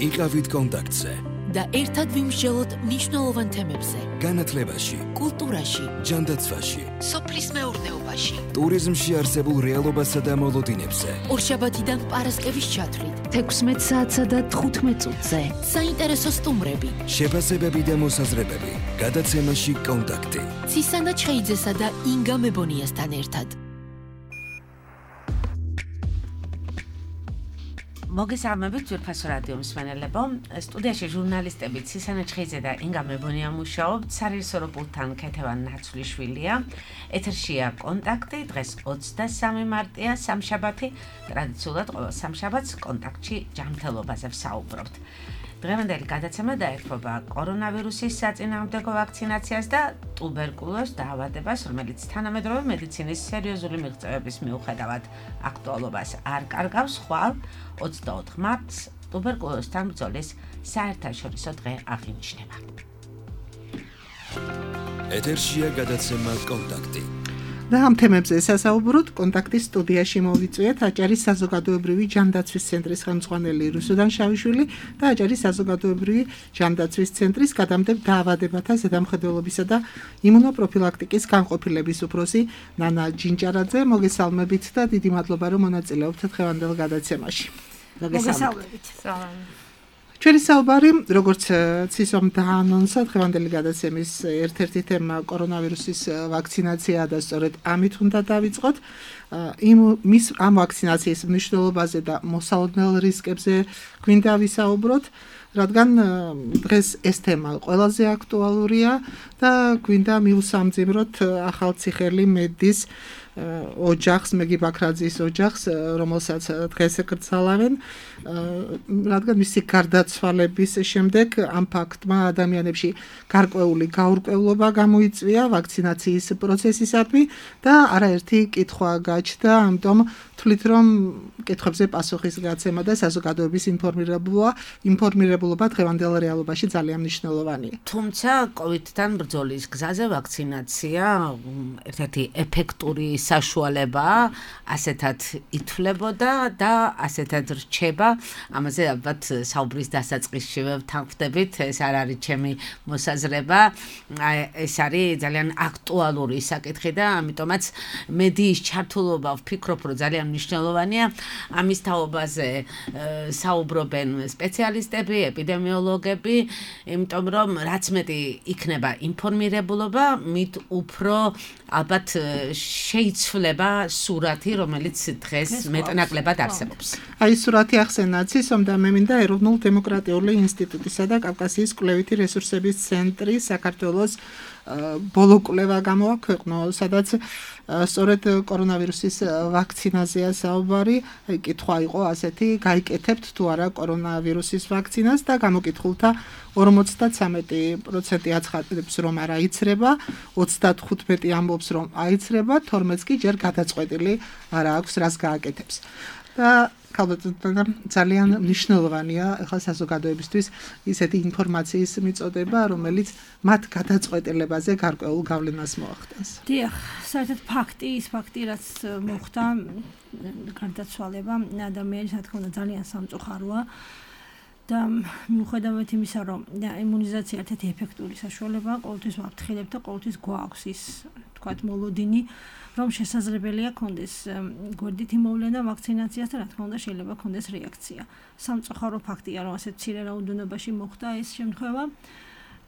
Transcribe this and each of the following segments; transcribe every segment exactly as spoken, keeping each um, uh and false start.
იყავით კონტაქტზე და ერთად ვიმსჯელოთ მნიშვნელოვან თემებზე. განათლებაში, კულტურაში, ჯანდაცვაში, სოფლის მეურნეობაში, ტურიზმში არსებულ რეალობასა და მოლოდინებზე. ორშაბათიდან პარასკევის ჩათვლით, თექვსმეტ საათსა და თხუთმეტ წუთზე. საინტერესო სტუმრები, შეფასებები და მოსაზრებები. გადაცემაში კონტაქტი. ცისანა ჩხეიძესა და ინგა მებონიასთან ერთად. მოგესალმებით ძვირფასო რადიო მსმენელებო, სტუდიაში ჟურნალისტები ცისანა ჩხეიძე და ინგა მებონია მუშაობთ, სარეჟისორო პულტთან ქეთევან ნაცვლიშვილია. ეთერშია კონტაქტი, დღეს ოცდასამი მარტია, სამშაბათი, ტრადიციულად ყოველ სამშაბათს კონტაქტში ჯანმრთელობაზე ვსაუბრობთ. დღევანდელი გადაცემა დაერთვება კორონავირუსის საწინააღმდეგო ვაქცინაციას და ტუბერკულოზ დაავადებას, რომელიც თანამედროვე მედიცინის სერიოზული მიღწევების მიუხედავად აქტუალობას არ კარგავს. ხვალ ოცდაოთხ მარტს ტუბერკულოზთან ბრძოლის საერთაშორისო დღე აღინიშნება. ეთერშია გადაცემა კონტაქტი. და ამ თემებზე სასაუბროთ კონტაქტის სტუდიაში მოვიწვიეთ აჭარის საზოგადოებრივი ჯანდაცვის ცენტრის ხელმძღვანელი რუსუდან შავიშვილი და აჭარის საზოგადოებრივი ჯანდაცვის ცენტრის გადამდებთ დაავადებათა ზედამხედველობისა და იმუნოპროფილაქტიკის განყოფილების უფროსი ნანა ჯინჭარაძე. მოგესალმებით და დიდი მადლობა რომ მონაწილეობთ დღევანდელ გადაცემაში. მოგესალმებით. ჩვენი საუბარი, როგორც ცისომ დაანონსა, დღევანდელი გადაცემის ერთ-ერთი თემა კორონავირუსის ვაქცინაციაა და სწორედ ამით უნდა დავიწყოთ. იმ მის ამ ვაქცინაციის მნიშვნელობაზე და მოსალოდნელ რისკებზე გვინდა ვისაუბროთ, რადგან დღეს ეს თემა ყველაზე აქტუალურია და გვინდა მივსამძიმროთ ახალციხელი მედის ოჯახს, მეგი ბაქრაძის ოჯახს, რომელსაც დღეს ეკრძალავენ, რადგან მისი გარდაცვალების შემდეგ ამ ფაქტმა ადამიანებში გარკვეული გაურკვევლობა გამოიწვია ვაქცინაციის პროცესისადმი და არაერთი კითხვა გაჩნდა, ამიტომ თვლით რომ კითხვებზე პასუხის გაცემა და საზოგადოების ინფორმირებულობა, ინფორმირებულობა დღევანდელ რეალობაში ძალიან მნიშვნელოვანია. თუმცა კოვიდთან ბრძოლის გზაზე ვაქცინაცია ერთ-ერთი ეფექტური საშუალებაა, ასეთად ითვლებოდა და ასეთად რჩება. ამაზე ალბათ საუბრის დასაწყისშივე ვთანხმდებით, ეს არ არის ჩემი მოსაზრება, ეს არის ძალიან აქტუალური საკითხი და ამიტომაც მედიის ჩართულობა ვფიქრობ, რომ ძალიან მნიშვნელოვანია. ამის თაობაზე საუბრობენ სპეციალისტები, ეპიდემიოლოგები, იმიტომ რომ რაც მეტი იქნება ინფორმირებულობა, მით უფრო ალბათ შეიცვლება სურათი, რომელიც დღეს მეტნაკლებად არსებობს. აი სურათი ახსენა ცისომ და მე მინდა ეროვნულ დემოკრატიული ინსტიტუტისა და კავკასიის კვლევითი რესურსების ცენტრის საქართველოს ბოლო კვლევა გამოაქვეყნო, სადაც სწორედ კორონავირუსის ვაქცინაზეა საუბარი. კითხვა იყო ასეთი, გაიკეთებთ თუ არა კორონავირუსის ვაქცინას და გამოკითხულთა ორმოცდათვრამეტი პროცენტი აცხადებს რომ არ აიცრება, ოცდათხუთმეტი ამბობს რომ აიცრება, თორმეტი კი ჯერ გადაწყვეტილი არ აქვს რას გააკეთებს. და ქალბატონო ძალიან მნიშვნელოვანია ახლა საზოგადოებისთვის ისეთი ინფორმაციის მიწოდება, რომელიც მათ გადაწყვეტილებაზე გარკვეულ გავლენას მოახდენს. დიახ, საერთოდ ფაქტი, ის ფაქტი, რაც მოხდა, გარდაცვალება ადამიანის, რა თქმა უნდა, ძალიან სამწუხაროა. და მიუხედავად იმისა, რომ იმუნიზაცია ერთ-ერთი ეფექტური საშუალებაა, ყოველთვის ვაფრთხილებთ და ყოველთვის გვაქვს ის, თქვათ, მოლოდინი, რომ შესაძლებელია კონდეს გვერდით იმოვლენა ვაქცინაციას და რა თქმა უნდა შეიძლება კონდეს რეაქცია. სამწუხარო ფაქტია, რომ ასეთ მცირე რაოდენობაში მოხდა ეს შემთხვევა.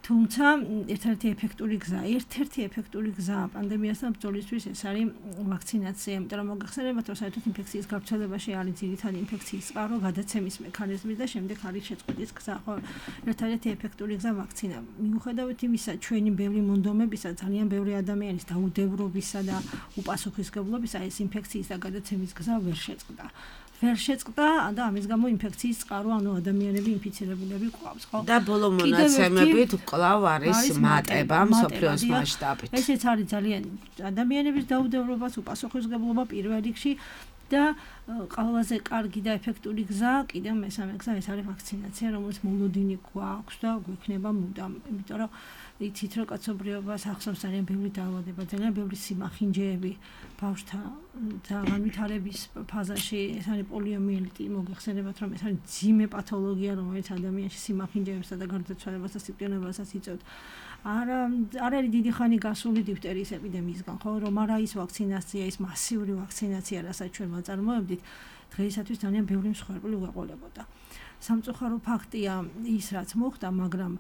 თუმცა ერთ-ერთი ეფექტური გზა, ერთ-ერთი ეფექტური გზა პანდემიასთან ბრძოლისთვის ეს არის ვაქცინაცია, იმიტომ რომ მოგახსენებათ, რომ საერთოდ ინფექციის გავრცელებაში არის ძირითადი ინფექციის წყარო, გადაცემის მექანიზმი და შემდეგ არის შეწყვეტის გზა. ხო, ერთ-ერთი ეფექტური გზა ვაქცინა. მიუხედავად იმისა, ჩვენი ბევრი მონდომებისა, ძალიან ბევრი ადამიანის დაუდევრობისა და უპასუხისმგებლობისა ეს ინფექციის და გადაცემის გზა ვერ შეწყდა. ვერ შეწყდა და ამის გამო ინფექციის წყარო, ანუ ადამიანები ინფიცირებულები ყავს, ხო? და ბოლო მონაცემებით კვლავ არის მატება მსოფლიოს მასშტაბით. ესეც არის ძალიან ადამიანების დაუდევრობას, უპასუხისმგებლობა პირველ რიგში და ყველაზე კარგი და ეფექტური გზა, კიდევ მესამე გზა ეს არის ვაქცინაცია, რომელიც მოლოდინი გვაქვს და გვექნება მუდამ, იმიტომ რომ იცით რომ კაცობრიობას ახსოვს ძალიან ბევრი დაავადება, ძალიან ბევრი სიმახინჯეები ბავშვთა ძალიან ვითარების ფაზაში ეს არის პოლიომიელიტი, მოგეხსენებათ რომ ეს არის ძიმე პათოლოგია, რომელიც ადამიანში სიმახინჯეებსა და გარდაცვალებასა სიკვდილებასაც იწვევს. არა არ არის დიდი ხანი გასული დიფტერიის ეპიდემიისგან, ხო, რომ არა ის ვაქცინაცია, ის მასიური ვაქცინაცია, რასაც ჩვენ ვაწარმოებდით, დღეისათვის ძალიან ბევრი მსხვერპლი უეყოლებოდა. სამწუხარო ფაქტია ის, რაც მოხდა, მაგრამ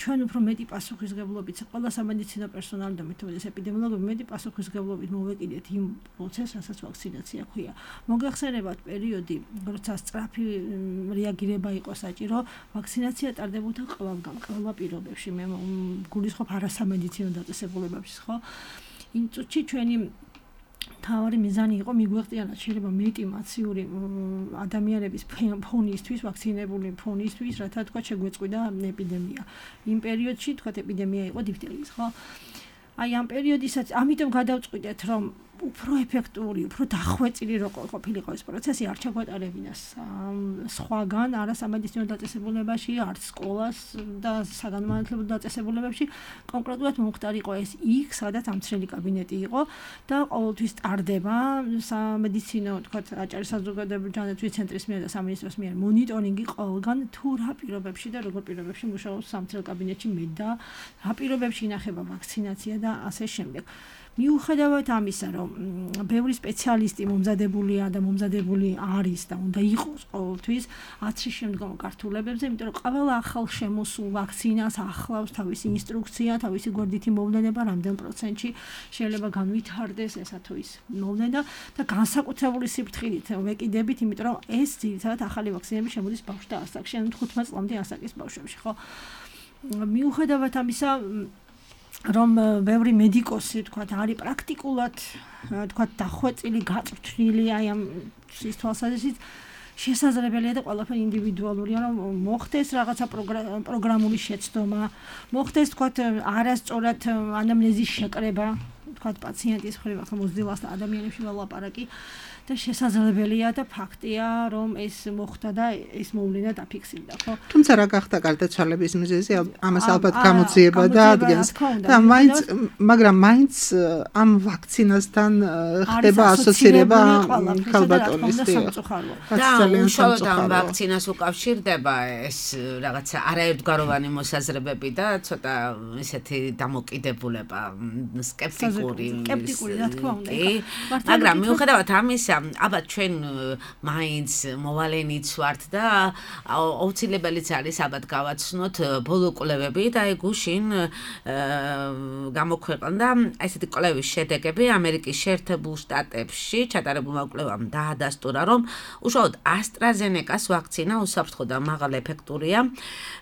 ჩვენ უფრო მეტი პასუხისგებლობით, ყველა სამედიცინო პერსონალი და მეთოდეს ეპიდემიოლოგები მეტი პასუხისგებლობით მოვეკიდეთ იმ პროცესს, რასაც ვაქცინაცია ქვია. მოგეხსენებათ პერიოდი, როცა სწრაფი რეაგირება იყო საჭირო, ვაქცინაცია ტარდებოდა ყველგან, ყველა პირობებში. მე გულისხმობ არასამედიცინო დაწესებულებებში, ხო? იმ წუთში ჩვენი თავარი მიზანი იყო მიგვეღწიანათ შეიძლება მეტი მასიური ადამიანების ფონისთვის, ვაქცინებული ფონისთვის, რათა თქვა შეგვეწყვიდა ეპიდემია. იმ პერიოდში თქვა ეპიდემია იყო დიფტერიის, ხო? აი ამ პერიოდისაც ამიტომ გადავწყვიტეთ, რომ უფრო ეფექტური, უფრო დახვეწილი რო ყოფილიყო ეს პროცესი, არ ჩაგვატარებინას სხვაგან, არა სამედიცინო დაწესებულებაში, არც სკოლას და საგანმანათლებლო დაწესებულებებში, კონკრეტულად მომხდარიყო ეს იქ, სადაც ამცრელი კაბინეტი იყო და ყოველთვის ტარდება სამედიცინო, თქვა აჭარის საზოგადოებრივი ცენტრის მიერ და სამინისტროს მიერ მონიტორინგი ყოველგან თუ რა პირობებში და როგორ პირობებში მუშაობს სამცრელ კაბინეტში მე და რა პირობებში ინახება ვაქცინაცია და ასე შემდეგ. მიუხედავად ამისა, რომ ბევრი სპეციალისტი მომზადებულია და მომზადებული არის და უნდა იყოს ყოველთვის ათში შემდგომ გართულებებზე, იმიტომ რომ ყველა ახალ შემოსულ ვაქცინას ახლავს თავისი ინსტრუქცია, თავისი გვერდითი მოვლენება, რამდენ პროცენტში შეიძლება განვითარდეს ესა თუ ის მოვლენა და განსაკუთრებული სიფრთხილით ვეკიდებით, იმიტომ რომ ეს ძირითადად ახალი ვაქცინები შემოდის ბავშვთა ასაკში, ანუ თხუთმეტ წლამდე ასაკის ბავშვებში, ხო? მიუხედავად ამისა, რომ ბევრი მედიკოსი თქვა არის პრაქტიკულად თქვა დახვეწილი, გაწვრთნილი აი ამ ის თვალსაზრისით შესაძლებელია და ყველაფერი ინდივიდუალურია, რომ მოხდეს რაღაცა პროგრამული შეცდომა, მოხდეს თქვა არასწორად ანამნეზის შეკრება, თქვა პაციენტის მხრივ, ახლა მოზრდილას და ადამიანებში ვალაპარაკი და შესაძლებელია და ფაქტია, რომ ეს მოხდა და ეს მოვლენა დაფიქსირდა, ხო? თუმცა რა გახდა გარდაცვალების მიზეზი, ამას ალბათ გამოძიება და ადგენს. და მაინც, მაგრამ მაინც ამ ვაქცინასთან ხდება ასოცირება ქალბატონისტი. და უშუალოდ ამ ვაქცინას უკავშირდება ეს რაღაცა არაერთგვაროვანი მოსაზრებები და ცოტა ისეთი დამოკიდებულება, სკეპტიკური, სკეპტიკური, რა თქმა უნდა. მაგრამ მიუხედავად ამისა, ალბათ ჩვენ მაინც მოვალენიც ვართ და აუცილებელიც არის ალბათ გავაცნოთ ბოლო კვლევები და აი გუშინ გამოქვეყნდა ესეთი კვლევის შედეგები ამერიკის შეერთებულ შტატებში ჩატარებულმა კვლევამ დაადასტურა, რომ უშუალოდ AstraZeneca-ს ვაქცინა უსაფრთხო და მაღალ ეფექტურია.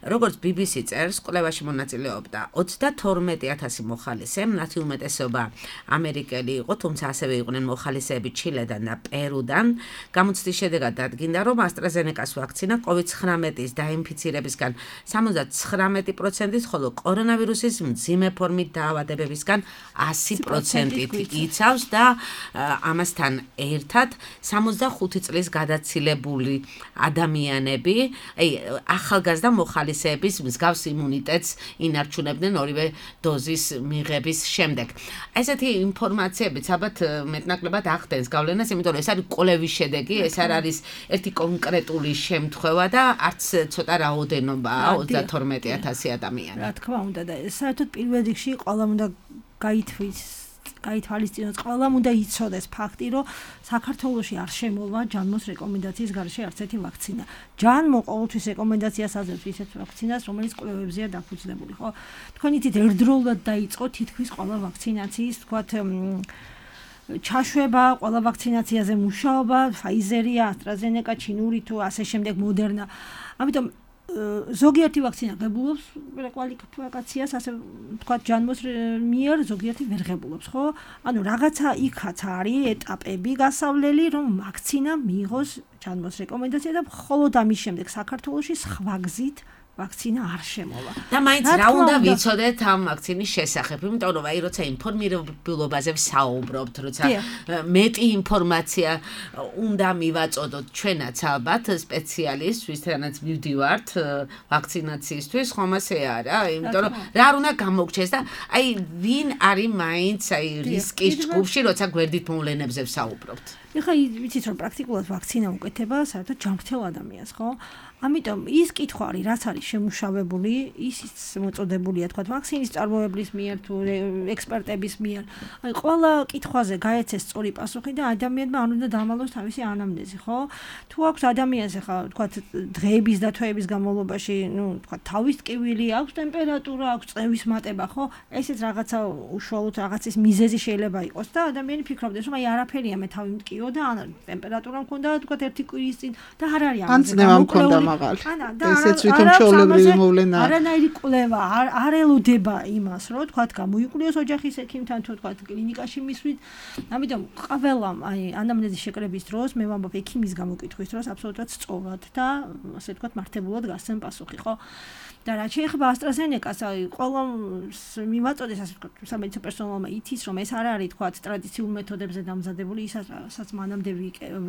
როგორც ბი ბი სი წერს, კვლევაში მონაწილეობდა ოცდათორმეტი ათასი მოხალისე, მათი უმეტესობა ამერიკელი იყო, თუმცა ასევე იყვნენ მოხალისეები ჩილედან და პერუდან. გამოცდის შედეგად დადგინდა, რომ AstraZeneca-ს ვაქცინა კოვიდ ცხრამეტის დაინფიცირებისგან სამოცდათხრამეტი პროცენტით, ხოლო კორონავირუსის მძიმე ფორმით დაავადებებისგან ასი პროცენტით იცავს და ამასთან ერთად სამოცდახუთი წლის გადაცილებული ადამიანები, აი ახალგაზრდა მოხალისეების მსგავს იმუნიტეტს ინარჩუნებდნენ ორივე დოზის მიღების შემდეგ. ესეთი ინფორმაციებიც ალბათ მეტნაკლებად ახდენს გავლენას, იმიტომ რომ ეს არის კვლევის შედეგი, ეს არ არის ერთი კონკრეტული შემთხვევა და არც ცოტა რაოდენობაა ოცდათორმეტი ათასი ადამიანი. რა თქმა უნდა და საერთოდ პირველ რიგში ყველამ უნდა გაითვალის გაითვალისწინოს, ყველამ უნდა იცოდეს ფაქტი, რომ საქართველოში არ შემოვა ჯანმოს რეკომენდაციის გარეშე არც ერთი ვაქცინა. ჯანმო ყოველთვის რეკომენდაციას აძლევს ისეთ ვაქცინას, რომელიც კვლევებზეა დაფუძნებული, ხო? თქვენ იცით ერთდროულად დაიწყო თითქმის ყველა ვაქცინაციის, თქვათ ჩაშვება, ყველა ვაქცინაციაზე მუშაობა, Pfizer-ია, AstraZeneca, ჩინური თუ ასე შემდეგ მოდერნა. ამიტომ ზოგიერთი ვაქცინა ღებულობს კვალიფიკაციას, ასე თქვა ჯანმოს მიერ, ზოგიერთი ვერ ღებულობს, ხო? ანუ რაღაცა იქაც არის ეტაპები გასავლელი, რომ ვაქცინა მიიღოს ჯანმოს რეკომენდაცია და მხოლოდ ამის შემდეგ საქართველოში სხვა გზით ვაქცინა არ შემოვა. და მაინც რა უნდა ვიცოდეთ ამ ვაქცინის შესახებ, იმიტომ რომ აი როცა ინფორმირებულობაზე ვსაუბრობთ, როცა მეტი ინფორმაცია უნდა მივაწოდოთ ჩვენაც ალბათ სპეციალისტს, ვისთანაც მივდივართ ვაქცინაციისთვის, ხომ ასე არა? იმიტომ რომ რა უნდა გამოგჩეს და აი ვინ არის მაინც აი რისკის ჯგუფში, როცა გვერდით მოვლენებზე ვსაუბრობთ. ეხლა ვიცით რომ პრაქტიკულად ვაქცინა უკეთება საერთოდ ჯანმრთელ ადამიანს, ხო? ამიტომ ის კითხვა არის, რაც არის შემუშავებული, ისიც მოწოდებულია, თქვა, ვაქცინის წარმოებლის მიერ თუ ექსპერტების მიერ. აი, ყველა კითხვაზე გაეცეს სწორი პასუხი და ადამიანმა არ უნდა დამალოს თავისი ანამნეზი, ხო? თუ აქვს ადამიანს ახლა, თქვა, დღეების და თვეების განმავლობაში, ნუ, თქვა, თავის ტკივილი, აქვს ტემპერატურა, აქვს წევის მატება, ხო? ესეც რაღაცა უშუალოდ რაღაცის მიზეზი შეიძლება იყოს და ადამიანი ფიქრობდეს, რომ აი არაფერია, მე თავი მტკიო და ან ტემპერატურა მქონდა, თქვა, ერთი კვირის წინ და არ არის ამაზე. ანა და ესეც ვითომ ჩვეულებრივი მოვლენაა. არანაირი კვლევა არ ელოდება იმას, რომ თქვა გამოიკვლიოს ოჯახის ექიმთან თუ თქვა კლინიკაში მისვით. ამიტომ ყველამ აი ანამნეზის შეკრების დროს მე ვამბობ ექიმის გამოკითხვის დროს აბსოლუტურად სწორად და ასე თქვა მართებულად გასცემ პასუხი, ხო? და რაც შეეხება AstraZeneca-ს, აი ყველამ მივაწოდეს ასე თქვა სამედიცინო პერსონალმა ითის, რომ ეს არ არის თქვა ტრადიციულ მეთოდებზე დამზადებული, ისაც მანამდე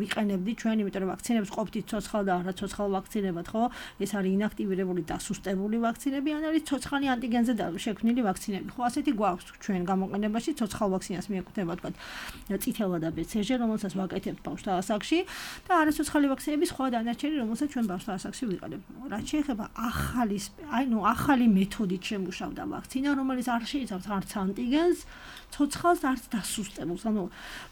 ვიყენებდი ჩვენ, იმიტომ რომ ვაქცინებს ყოფთ ცოცხალ და არაცოცხალ ვაქცინებად, ხო? ეს არის ინაქტივირებული და სუსტებული ვაქცინები, ან არის ცოცხალი ანტიგენზე შექმნილი ვაქცინები. ხო, ასეთი გვაქვს ჩვენ გამოყენებაში, ცოცხალ ვაქცინას მიეკუთვნება თქვა წითელა და ბეცეჟე, რომელსაც ვაკეთებთ ბავშვთა ასაკში და არაცოცხალი ვაქცინების სხვა დანარჩენი, რომელსაც ჩვენ ბავშვთა ასაკში ვიყენებთ. რაც შეეხება ახალი აი ნუ ახალი მეთოდით შემუშავდა ვაქცინა, რომელიც არ შეიცავს არც ანტიგენს, ცოცხალს არც დასუსტებულს. ანუ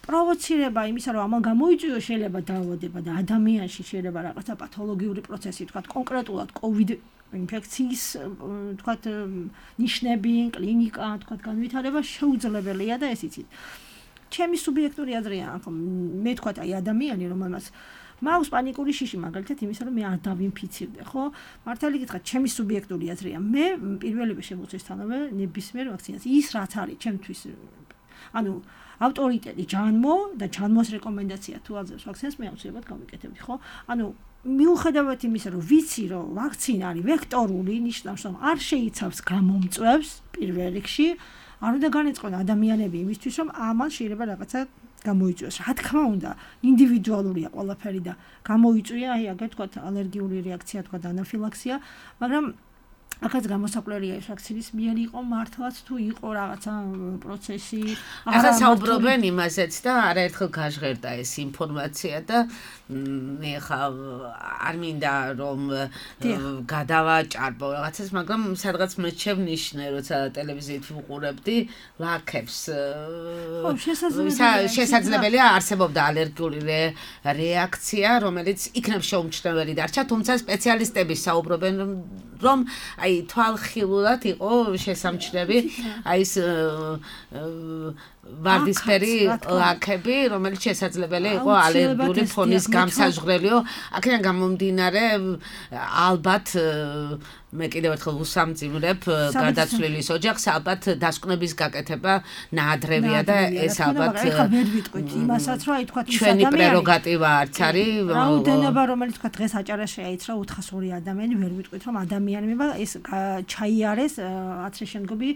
პროვოცირება იმისა, რომ ამან გამოიწვიოს შეიძლება დაავადება და ადამიანში შეიძლება რაღაცა პათოლოგიური პროცესი, თქვა კონკრეტულად COVID ინფექციის, თქვა ნიშნები, კლინიკა, თქვა განვითარება შეუძლებელია და ეს იცით. ჩემი სუბიექტური აზრია, მე თქვა აი ადამიანი, რომელმაც მაქვს პანიკური შიში მაგალითად იმისა, რომ მე არ დავინფიცირდე, ხო? მართალი გითხრათ, ჩემი სუბიექტური აზრია, მე პირველივე შემოწესთანავე ნებისმიერ ვაქცინას ის რაც არის ჩემთვის ანუ ავტორიტეტი ჯანმო და ჯანმოს რეკომენდაცია თუ აძლევს ვაქცინას, მე აუცილებლად გავიკეთებდი, ხო? ანუ მიუხედავად იმისა, რომ ვიცი, რომ ვაქცინა არის ვექტორული, ნიშნავს, რომ არ შეიცავს გამომწვევს პირველ რიგში, არ უნდა განეწყონ ადამიანები იმისთვის, რომ ამან შეიძლება რაღაცა გამოიწვიოს. რა თქმა უნდა, ინდივიდუალურია ყველაფერი და გამოიწვია, აი აგერ თქვა ალერგიული რეაქცია, თქვა ანაფილაქსია, მაგრამ აქაც გამოსაკვირია ეს ვაქცინის მიერ იყო მართლაც თუ იყო რაღაცა პროცესი. ახლა საუბრობენ იმაზეც და არაერთხელ გაჟღერდა ეს ინფორმაცია და მე ხა არ მინდა რომ გადავაჭარბო რაღაცას, მაგრამ სადღაც მეჩევნიშნე, როცა ტელევიზიით ვუყურებდი ლაქებს. შესაძლებელია არსებობდა ალერგიული რეაქცია, რომელიც იქნებ შეუმჩნეველი დარჩა, თუმცა სპეციალისტები საუბრობენ რომ აი თვალხილულად იყო შესამჩნევი აი ეს ვარდისფერი ლაქები, რომელიც შესაძლებელია იყო ალერგიული ფონის გამსაჟღვრელიო. აქედან გამომდინარე ალბათ მე კიდევ ერთხელ უსამძიმრებ გადაცვლილის ოჯახს, ალბათ დასკვნების გაკეთება ნაადრევია და ეს ალბათ ეხლა ვერ ვიტყვით იმასაც, რომ აი თქვა ჩვენი პრეროგატივა არც არის. რაოდენობა რომელიც თქვა დღეს აჭარას შეაიცრა ოთხას ორი ადამიანი, ვერ ვიტყვით რომ ადამიანებმა ეს ჩაიარეს აცრეშენგობი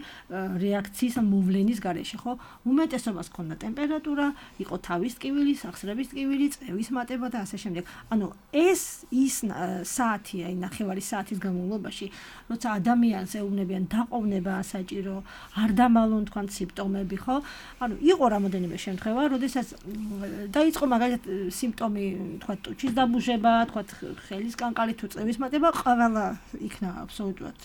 რეაქციის მოვლენის გარეშე, ხო? უმეტესობას ჰქონდა ტემპერატურა, იყო თავის ტკივილი, სახსრების ტკივილი, წევის მატება და ასე შემდეგ. ანუ ეს ის საათი, აი ნახევარი საათის განმავლობაში როცა ადამიანს ეუბნებიან დაყოვნება საჭირო, არ დამალონ თქვენ სიმპტომები, ხო? ანუ იყო რამოდენიმე შემთხვევა, როდესაც დაიწყო მაგალითად სიმპტომი, თქვა ტუჩის დაბუჟება, თქვა ხელის კანკალი თუ წევის მატება, ყველა იქნა აბსოლუტურად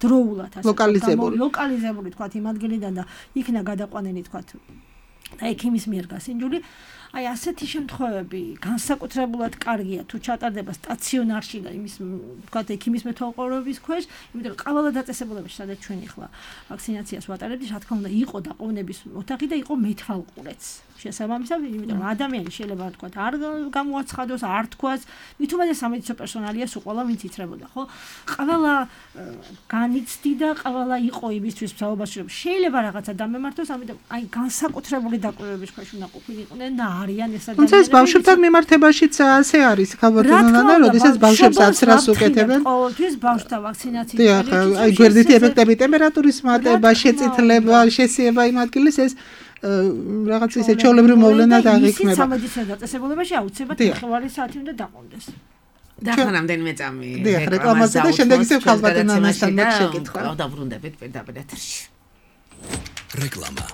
დროულად ასე ლოკალიზებული. ლოკალიზებული თქვა იმ ადგილიდან და იქნა გადაყვანილი თქვა და ექიმის მიერ გასინჯული. აი ასეთი შემთხვევები განსაკუთრებულად კარგია თუ ჩატარდება სტაციონარში და იმის თქვა ექიმის მეთვალყურების ქვეშ, იმიტომ რომ ყველა დაწესებულებაში სადაც ჩვენ ახლა ვაქცინაციას ვატარებთ, რა თქმა უნდა, იყო დაყოვნების ოთახი და იყო მეთვალყურეც. შესაბამისად, იმიტომ რომ ადამიანი შეიძლება თქვა არ გამოაცხადოს, არ თქვას, მით უმეტეს სამედიცინო პერსონალია სულ ყველა ვინც იცრებოდა, ხო? ყველა განიცდიდა, ყველა იყო იმისთვის მსაუბარში, რომ შეიძლება რაღაცა დამემართოს, ამიტომ აი განსაკუთრებული დაკვირვების ქვეშ უნდა ყოფილიყვნენ და არიან ეს ადამიანები. თუმცა ეს ბავშვებთან მიმართებაშიც ასე არის, ხალბატონანა, როდესაც ბავშვებს აცრას უკეთებენ. ყოველთვის ბავშვთა ვაქცინაციის დიახ, აი გვერდითი ეფექტები, ტემპერატურის მატება, შეწითლება, შესიება იმ ადგილის ეს რაღაც ისე ჩვეულებრივ მოვლენა დააღიქმება. ისიც სამედიცინო დაწესებულებაში აუცილებლად ხმოვანი საათი უნდა დაყოლდეს. და ახლა რამდენიმე წამი დიახ, რეკლამაზე და შემდეგ ისევ ხალბატონანასთან შეკითხვა. დავბრუნდებით პირდაპირ ეთერში. რეკლამა.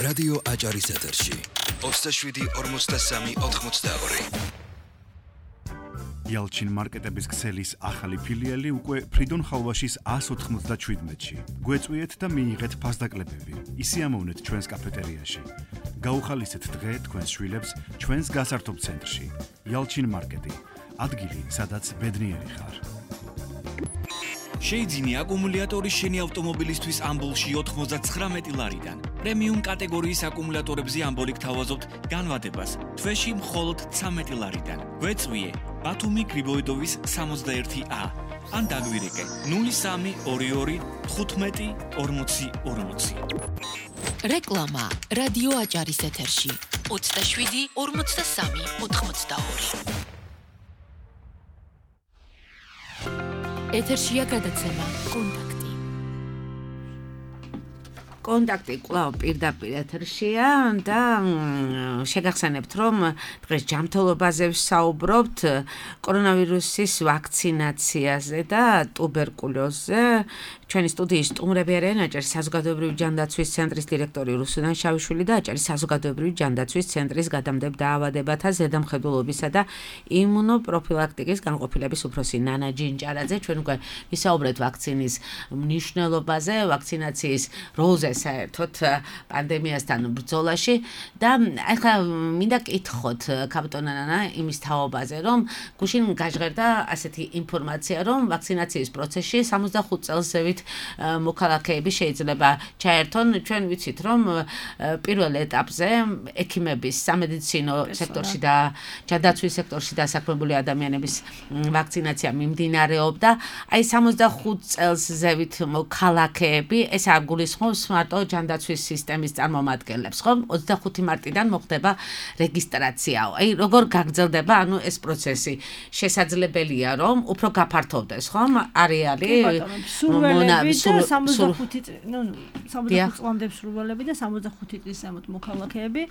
რადიო აჭარის ეთერში. ოცდაშვიდი ორმოცდასამი ოთხმოცდაორი. Yalchin მარკეტების ქსელის ახალი ფილიალი უკვე ფრიდონ ხალვაშის ას ოთხმოცდაშვიდმეტში. გვეწვიეთ და მიიღეთ ფასდაკლებები. ისიამოვნეთ ჩვენს კაფეტერიაში. გაუხალისეთ დღე თქვენს შვილებს ჩვენს გასართობ ცენტრში. Yalchin მარკეტი. ადგილი, სადაც ბედნიერი ხარ. შეიძინე აკუმულატორი შენი ავტომობილისთვის ამბოლში ოთხმოცდათხრამეტი ლარიდან. პრემიუმ კატეგორიის აკუმულატორებზე ამბოლი გთავაზობთ განვადებას თვეში მხოლოდ ცამეტი ლარიდან. გვეწვიე ბათუმი გრიბოიდოვის სამოცდაერთი ა ან დაგვირეკე ნული სამი ორი ორი თხუთმეტი ორმოცი ორმოცი. რეკლამა რადიო აჭარის ეთერში ოცდაშვიდი ორმოცდასამი ოთხმოცდაორი. ეთერშია გადაცემა კონტაქტი. კონტაქტი კვლავ პირდაპირ ეთერშია და შეგახსენებთ, რომ დღეს ჯანმრთელობაზე ვსაუბრობთ კორონავირუსის ვაქცინაციაზე და ტუბერკულოზზე. ჩვენი სტუდიის სტუმრები არიან აჭარის საზოგადოებრივი ჯანდაცვის ცენტრის დირექტორი რუსუდან შავიშვილი და აჭარის საზოგადოებრივი ჯანდაცვის ცენტრის გადამდებთ დაავადებათა ზედამხედველობისა და იმუნოპროფილაქტიკის განყოფილების უფროსი ნანა ჯინჭარაძე. ჩვენ უკვე ვისაუბრეთ ვაქცინის მნიშვნელობაზე, ვაქცინაციის როლზე საერთოდ პანდემიასთან ბრძოლაში და ახლა მინდა კითხოთ კაპიტან ნანა იმის თაობაზე, რომ გუშინ გაჟღერდა ასეთი ინფორმაცია, რომ ვაქცინაციის პროცესში სამოცდახუთ წელსევით მოქალაქეები შეიძლება ჩაერთონ. ჩვენ ვიცით, რომ პირველ ეტაპზე ექიმების, სამედიცინო სექტორში და ჯანდაცვის სექტორში დასაქმებული ადამიანების ვაქცინაცია მიმდინარეობდა. აი სამოცდახუთ წელს ზევით მოქალაქეები, ეს არ გულისხმობს მარტო ჯანდაცვის სისტემის წარმომადგენლებს, ხო? ოცდახუთი მარტიდან მოხდება რეგისტრაცია. აი როგორ გაგრძელდება ანუ ეს პროცესი? შესაძლებელია რომ უფრო გაფართოვდეს, ხომ? არეალი სამოცდახუთი ნუ სამოცდახუთი წლამდე სრულველები და სამოცდახუთი წლის ზემოთ მოქალაქეები,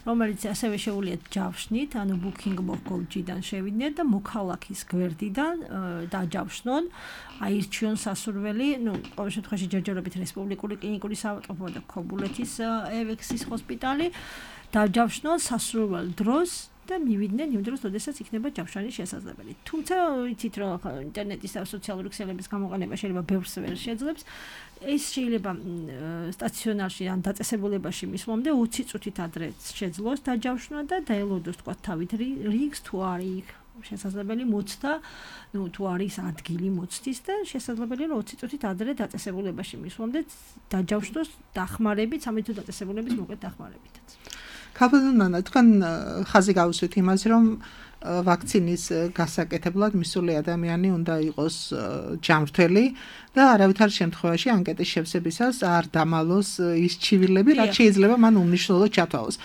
რომელიც ასევე შეუძლიათ ჯავშნით, ანუ booking dot com-დან შევიდნენ და მოქალაქის გვერდიდან დაჯავშნონ, აირჩიონ სასურველი, ნუ ყოველ შემთხვევაში ჯერჯერობით რესპუბლიკური კლინიკური საავადმყოფო და ქობულეთის ევექსის ჰოსპიტალი დაჯავშნონ სასურველ დროს და მივიდნენ იმ დროს, როდესაც იქნება ჯავშანის შესაძლებელი. თუმცა ვიცით, რომ ინტერნეტის და სოციალური ქსელების გამოყენება შეიძლება ბევრს ვერ შეძლებს. ეს შეიძლება სტაციონარში ან დაწესებულებაში მისვლამდე ოცი წუთით ადრე შეძლოს დაჯავშნა და დაელოდოს თქვა თავით რიგს თუ არის შესაძლებელი მოცდა, ნუ თუ არის ადგილი მოცდის და შესაძლებელია რომ ოცი წუთით ადრე დაწესებულებაში მისვლამდე დაჯავშნოს დახმარებით, სამი თუ დაწესებულების მოკლედ დახმარებითაც. კაპიტანანა, თქვენ ხაზი გავუსვით იმას, რომ ვაქცინის გასაკეთებლად მისული ადამიანი უნდა იყოს ჯანმრთელი და არავითარ შემთხვევაში ანკეტის შევსებისას არ დამალოს ის ჩივილები, რაც შეიძლება მან უმნიშვნელოდ ჩათვალოს.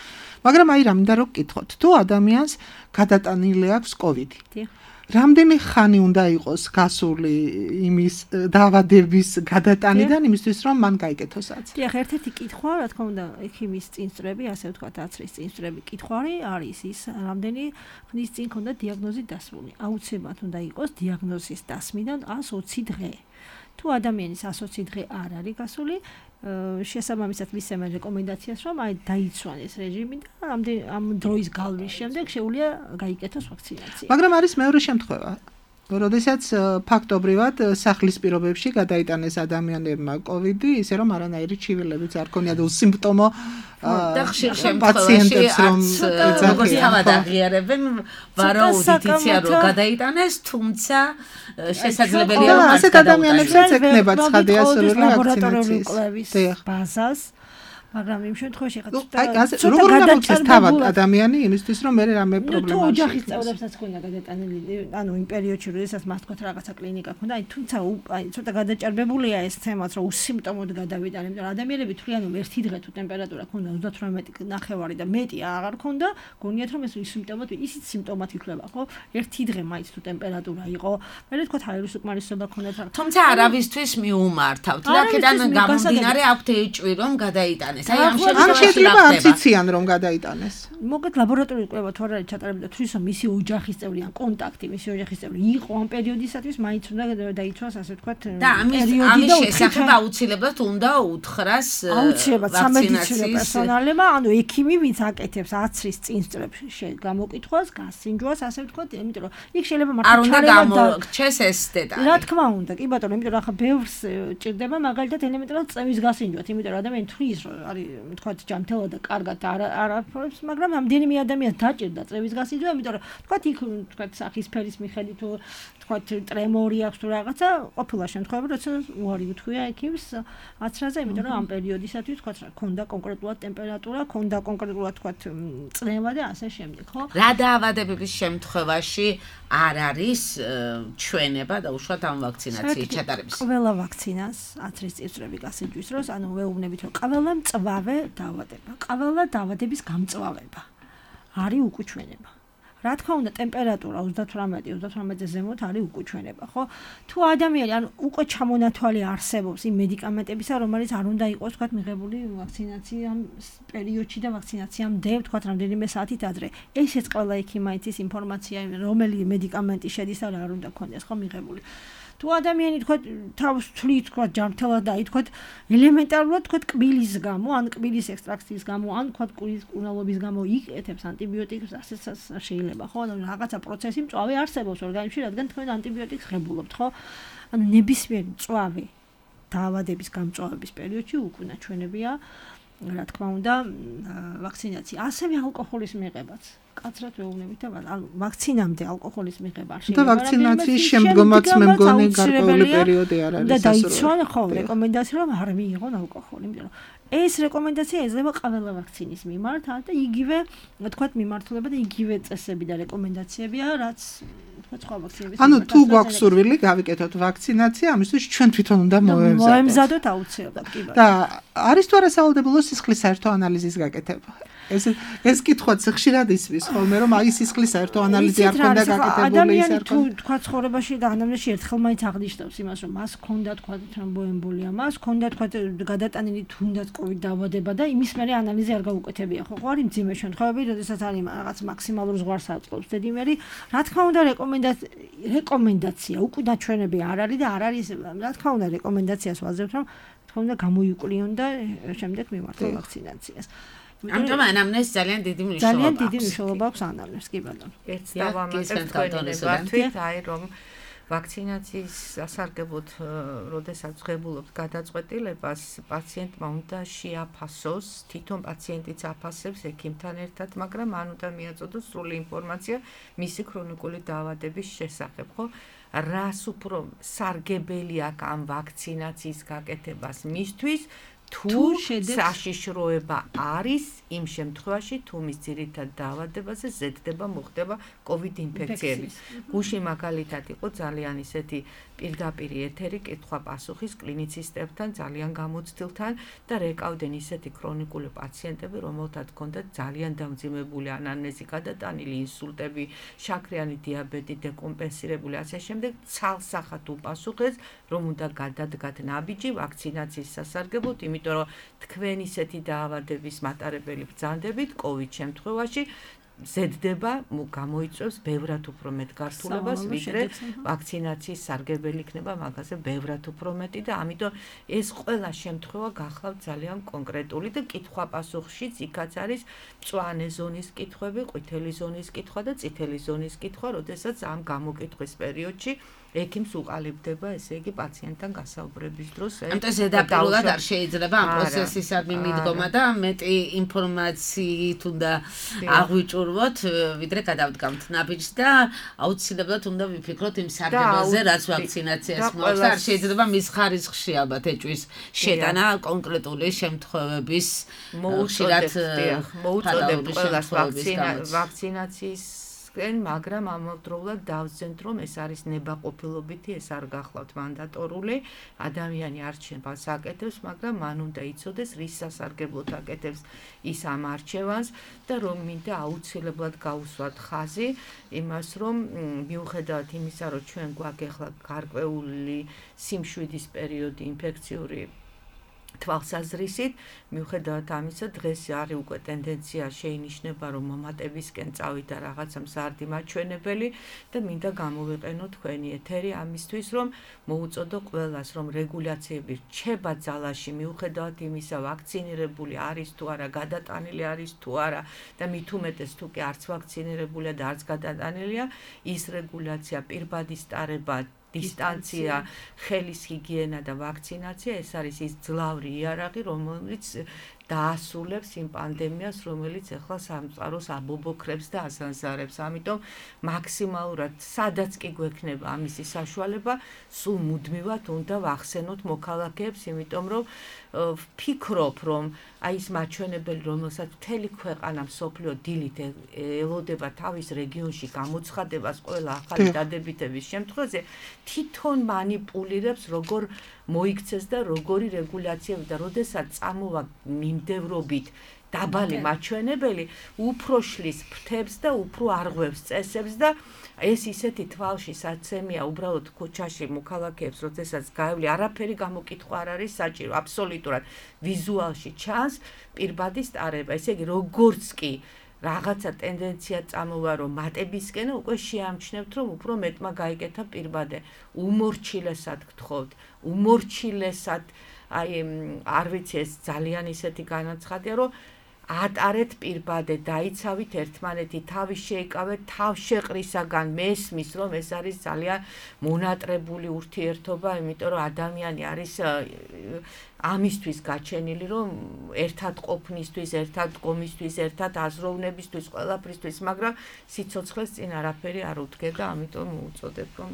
მაგრამ აი რა მინდა რომ გკითხოთ, თუ ადამიანს გადატანილი აქვს კოვიდი. რამდენი ხანი უნდა იყოს გასული იმის დაავადების გადატანიდან იმისთვის რომ მან გაიგეთოს აცი? დიახ, ერთ-ერთი კითხვა, რა თქმა უნდა, ექიმის წინსწრები, ასე ვთქვათ, აცრის წინსწრები კითხვარი არის ის, რამდენი ხნის წინ ქონდა დიაგნოზი დასმული. აუცილებლად უნდა იყოს დიაგნოზის დასმიდან ას ოცი დღე. თუ ადამიანის ას ოცი დღე არ არის გასული, შესაბამისად მისცემენ რეკომენდაციას, რომ აი დაიცვან ეს რეჟიმი და ამ დროის გალვის შემდეგ შეუძლია გაიგეთოს ვაქცინაცია. მაგრამ არის მეორე შემთხვევა, როდესაც ფაქტობრივად სახლის პირობებში გადაიტანეს ადამიანებმა კოვიდი, ისე რომ არანაირი ჩივილებიც არ ქონიათ უსიმპტომო პაციენტებს რომ როგორც თავად აღიარებენ, ვარაუდითია რომ გადაიტანეს, თუმცა შესაძლებელია რომ ასეთ ადამიანებსაც ექნებათ ცხადია სრული ვაქცინაციის ბაზას მაგრამ იმ შემთხვევაში ხა ცოტა როგორ უნდა მოხდეს თავად ადამიანი იმისთვის რომ მე რამე პრობლემა აქვს. თუ ოჯახის წევრებსაც ქონდა გადატანილი, ანუ იმ პერიოდში როდესაც მას თქვა რაღაცა კლინიკა ქონდა, აი თუმცა აი ცოტა გადაჭარბებულია ეს თემაც, რომ უსიმპტომოდ გადავიტანე, იმიტომ რომ ადამიანები თვლიან რომ ერთი დღე თუ ტემპერატურა ქონდა ოცდათვრამეტი ნახევარი და მეტი აღარ ქონდა, გონიათ რომ ეს სიმპტომად ისიც სიმპტომად ითვლება, ხო? ერთი დღე მაინც თუ ტემპერატურა იყო, მე თქვა თავის უკმარისობა ქონდათ. თუმცა არავისთვის მიუმართავთ. აქედან გამომდინარე აქვთ ეჭვი რომ გადაიტანეს. აი ამ შემთხვევაში არც იციან რომ გადაიტანეს. მოგეთ ლაბორატორიული კვლევა თუ არ არის ჩატარებული და თუ ისო მისი ოჯახის წევრი ან კონტაქტი მისი ოჯახის წევრი იყო ამ პერიოდისათვის მაინც უნდა დაიცვას ასე ვთქვათ და ამის ამის შესახებ აუცილებლად უნდა უთხრას აუცილებლად სამედიცინო პერსონალებმა ანუ ექიმი ვინც აკეთებს აცრის წინსწრებს გამოკითხვას გასინჯვას ასე ვთქვათ იმიტომ რომ იქ შეიძლება მართლა არ უნდა გამორჩეს ეს დეტალი რა თქმა უნდა კი ბატონო იმიტომ რომ ახლა ბევრს ჭირდება მაგალითად ელემენტარულად წევის გასინჯვათ იმიტომ რომ ადამიანი თulis არის ვთქვათ ჯანმრთელად და კარგად არ არაფერს მაგრამ ამდენიმე ადამიანს დაჭირდა წევის გასინჯვა იმიტომ რომ ვთქვათ იქ ვთქვათ სახის ფერის მიხედვით თუ ვთქვათ ტრემორი აქვს თუ რაღაცა ყოფილა შემთხვევები როცა უარი უთქვია ექიმს აცრაზე იმიტომ რომ ამ პერიოდისათვის ვთქვათ რა ქონდა კონკრეტულად ტემპერატურა ქონდა კონკრეტულად ვთქვათ წნევა და ასე შემდეგ ხო რა დაავადებების შემთხვევაში არ არის ჩვენება და უშუალოდ ამ ვაქცინაციის ჩატარების ყველა ვაქცინას აცრის წიწვრები გასინჯვის დროს ანუ ვეუბნებით რომ ყველა მწვავე დაავადება ყველა დაავადების გამწვავება არის უკუჩვენება რა თქმა უნდა ტემპერატურა ოცდათვრამეტი ოცდათვრამეტზე ზემოთ არის უკუჩვენება ხო თუ ადამიანი ანუ უკვე ჩამონათვალი არსებობს იმ მედიკამენტებისა რომელიც არ უნდა იყოს თქვათ მიღებული ვაქცინაციამ პერიოდში და ვაქცინაციამდე თქვათ რამდენიმე საათით ადრე ესეც ყველა ექიმაიც ის ინფორმაცია რომელი მედიკამენტი შედის და რა უნდა ქონდეს ხო მიღებული თუ ადამიანი თქვა თავს თვლით თქვა ჯანმრთელად და აი თქვა ელემენტარულად თქვა კბილის გამო ან კბილის ექსტრაქციის გამო ან თქვა კურის კუნალობის გამო იკეთებს ანტიბიოტიკს ასეც შეიძლება ხო ანუ რაღაცა პროცესი მწვავე არსებობს ორგანიზმში რადგან თქვენ ანტიბიოტიკს ღებულობთ ხო ანუ ნებისმიერი მწვავე დაავადების გამწვავების პერიოდში უკუნაჩვენებია რა თქმა უნდა ვაქცინაცია ასევე ალკოჰოლის მიღებაც კაცრად ვეუბნებით და ანუ ვაქცინამდე ალკოჰოლის მიღება არ შეიძლება და ვაქცინაციის შემდგომაც მე მგონი გარკვეული პერიოდი არ არის და დაიცვან ხო რეკომენდაცია რომ არ მიიღონ ალკოჰოლი იმიტომ რომ ეს რეკომენდაცია ეძლევა ყველა ვაქცინის მიმართ და იგივე თქვათ მიმართულება და იგივე წესები და რეკომენდაციებია რაც თქვათ სხვა ვაქცინების ანუ თუ გვაქვს სურვილი გავიკეთოთ ვაქცინაცია ამისთვის ჩვენ თვითონ უნდა მოემზადოთ მოემზადოთ აუცილებლად კი და არის თუ არა სავალდებულო სისხლის საერთო ანალიზის გაკეთება ეს ეს კითხვაც ხშირად ისმის ხოლმე რომ აი სისხლის საერთო ანალიზი არ ქონდა გაკეთებული ის არ თუ თქვა ცხოვრებაში და ანამნეზში ერთხელ მაინც აღნიშნავს იმას რომ მას ქონდა თქვა თრომბოემბოლია მას ქონდა თქვა გადატანილი თუნდაც კოვიდ დაავადება და იმის მერე ანალიზი არ გაუკეთებია ხო ხო არის მძიმე შემთხვევები როდესაც არის რაღაც მაქსიმალურ ზღვარს აწყობს დედიმერი რა თქმა უნდა რეკომენდაცია რეკომენდაცია უკუნაჩვენები არ არის და არ არის რა თქმა უნდა რეკომენდაციას ვაძლევთ რომ თქმა უნდა გამოიკვლიონ და შემდეგ მიმართონ ვაქცინაციას ამიტომ ანამნეზს ძალიან დიდი მნიშვნელობა აქვს. ძალიან დიდი მნიშვნელობა აქვს ანამნეზს, კი ბატონო. ერთ დავამატებ თქვენებათვით, აი რომ ვაქცინაციის სასარგებლოდ, როდესაც ღებულობთ გადაწყვეტილებას, პაციენტმა უნდა შეაფასოს, თვითონ პაციენტიც afasებს ექიმთან ერთად, მაგრამ მან უნდა მიაწოდოს სრული ინფორმაცია მისი ქრონიკული დაავადების შესახებ, ხო? რას უფრო სარგებელი აქვს ამ ვაქცინაციის გაკეთებას მისთვის? თუ საშიშროება არის იმ შემთხვევაში თუ მის ძირითად დაავადებაზე ზედდება მოხდება კოვიდ ინფექციები. გუშინ მაგალითად იყო ძალიან ისეთი პირდაპირი ეთერი კითხვა-პასუხის კლინიცისტებთან ძალიან გამოცდილთან და რეკავდნენ ისეთი ქრონიკული პაციენტები, რომელთაც ჰქონდათ ძალიან დამძიმებული ანამნეზი, გადატანილი ინსულტები, შაქრიანი დიაბეტი, დეკომპენსირებული ასე შემდეგ, ცალსახად უპასუხეს, რომ უნდა გადადგათ ნაბიჯი ვაქცინაციის სასარგებლოდ, იმიტომ რომ თქვენ ისეთი დაავადების მატარებელი ბრძანდებით კოვიდ შემთხვევაში ზედდება გამოიწვევს ბევრად უფრო მეტ გართულებას, ვიდრე ვაქცინაციის სარგებელი იქნება მაგაზე ბევრად უფრო მეტი და ამიტომ ეს ყველა შემთხვევა გახლავთ ძალიან კონკრეტული და კითხვა-პასუხშიც იქაც არის მწვანე ზონის კითხვები, ყვითელი ზონის კითხვა და წითელი ზონის კითხვა, როდესაც ამ გამოკითხვის პერიოდში ექიმს უყალიბდება, ესე იგი პაციენტთან გასაუბრების დროს. ამიტომ ზედაპირულად არ შეიძლება ამ პროცესისადმი მიდგომა და მეტი ინფორმაციით უნდა აღვიჭურვოთ, ვიდრე გადავდგამთ ნაბიჯს და აუცილებლად უნდა ვიფიქროთ იმ სარგებლოზე, რაც ვაქცინაციას მოაქვს და არ შეიძლება მის ხარისხში ალბათ ეჭვის შეტანა კონკრეტული შემთხვევების ხშირად მოუწოდებ ყველას ვაქცინაციის მაგრამ ამავდროულად დავზენთ, რომ ეს არის ნებაყოფილობითი, ეს არ გახლავთ მანდატორული, ადამიანი არჩევას აკეთებს, მაგრამ მან უნდა იცოდეს, რის სასარგებლოდ აკეთებს ის ამ არჩევანს და რომ მინდა აუცილებლად გაუსვათ ხაზი იმას, რომ მიუხედავად იმისა, რომ ჩვენ გვაქვს ახლა გარკვეული სიმშვიდის პერიოდი ინფექციური თვალსაზრისით, მიუხედავად ამისა, დღეს არის უკვე ტენდენცია შეინიშნება, რომ მომატებისკენ წავიდა რაღაცა მზარდი მაჩვენებელი და მინდა გამოვიყენო თქვენი ეთერი ამისთვის, რომ მოუწოდო ყველას, რომ რეგულაციები რჩება ძალაში, მიუხედავად იმისა, ვაქცინირებული არის თუ არა, გადატანილი არის თუ არა და მით უმეტეს თუ კი არც ვაქცინირებულია და არც გადატანილია, ის რეგულაცია პირბადის ტარება დისტანცია, ხელის ჰიგიენა და ვაქცინაცია, ეს არის ის ძლავრი იარაღი, რომელიც დაასრულებს იმ პანდემიას, რომელიც ახლა სამწყაროს აბობოქრებს და ასანსარებს. ამიტომ მაქსიმალურად სადაც კი გვექნება ამისი საშუალება, სულ მუდმივად უნდა ვახსენოთ მოქალაქეებს, იმიტომ რომ ვფიქრობ, რომ აი ეს მაჩვენებელი, რომელსაც მთელი ქვეყანა მსოფლიო დილით ელოდება თავის რეგიონში გამოცხადებას ყველა ახალი დადებითების შემთხვევაზე, თვითონ манипуლირებს როგორ მოიქცეს და როგორი რეგულაციები და როდესაც წამოვა მიმდევრობით დაბალი მაჩვენებელი, უფრო შლის ფრთებს და უფრო არღვევს წესებს და ეს ისეთი თვალში საცემია უბრალოდ ქუჩაში მოქალაქეებს, როდესაც გაევლი, არაფერი გამოკითხვა არ არის საჭირო, აბსოლუტურად ვიზუალში ჩანს პირბადის ტარება. ესე იგი, როგორც კი რაღაცა ტენდენცია წამოვა, რომ მატებისკენ უკვე შეამჩნევთ, რომ უფრო მეტმა გაიკეთა პირბადე. უმორჩილესად გთხოვთ, უმორჩილესად, აი არ ვიცი, ეს ძალიან ისეთი განაცხადია, რომ ატარეთ პირბადე, დაიცავით ერთმანეთი, თავის შეიკავეთ თავშეყრისაგან, მესმის, რომ ეს არის ძალიან მონატრებული ურთიერთობა, იმიტომ რომ ადამიანი არის ამისთვის გაჩენილი, რომ ერთად ყოფნისთვის, ერთად დგომისთვის, ერთად აზროვნებისთვის, ყველაფრისთვის, მაგრამ სიცოცხლეს წინ არაფერი არ უდგება, ამიტომ უწოდებ, რომ